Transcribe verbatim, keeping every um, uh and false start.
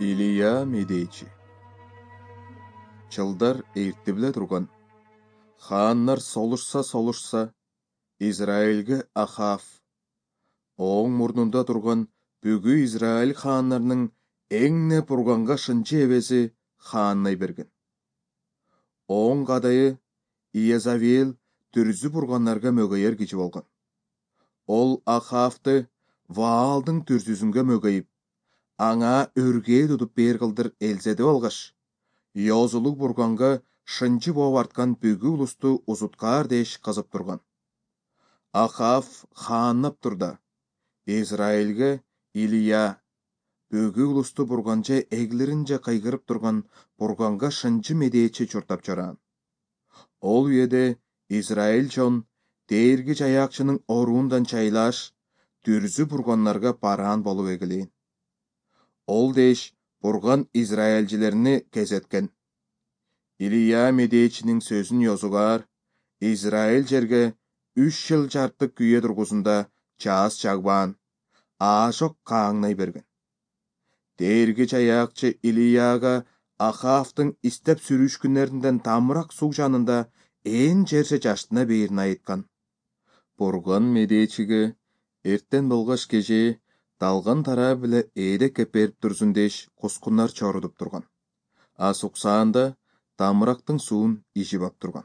Илия медечи. Чылдар эрте биле турган. Хааннар солушса-солушса, Израилге Ахав, оң мурнунда турган бүгү Израиль хааннарынын эңне бурганга шынчы эбеси хааннай берген. Оң кадайы Иезавел түрзү бурганнарга мөгөйер киши болгон. Ол Ахавды Ваалдын түрзүсүнгө мөгөйүп, аңа өргөө тутуп бээр кылдыр элзеде болгаш, Йозулук бурганга шынчы болуп арткан бүгү улусту узуткаар деш кызып турган. Ахав хааннап турда, Израилге Илия, бүгү улусту бурганча эглеринче кайгырып турган бурганга шынчы медечи чуртап чараан. Ол үйеде Израиль чон Дээрги Жаякчынын оруундан чайлаш, түрзү бурганнарга бараан болуп эгелээн. Ол деш бурган израилчилерини кезеткен. Илия медечинин сөзүн йозугаар, Израиль жерге үч жыл жарты күйе тургузунда чаас чагбаан, аажок кааңнай берген. Дээрги Жаякчы Илияга Ахавдын истеп сүрүшкүннөрүндөн тамырак суу жанында ээн жерсе жаштына бээрин айткан. Бурган медечиге эртен болгош кеже далган тараа биле ээдек кеп берип турсун деш кускуннар чорудуп турган. А суксаанда тамырактын суун ижип ап турган.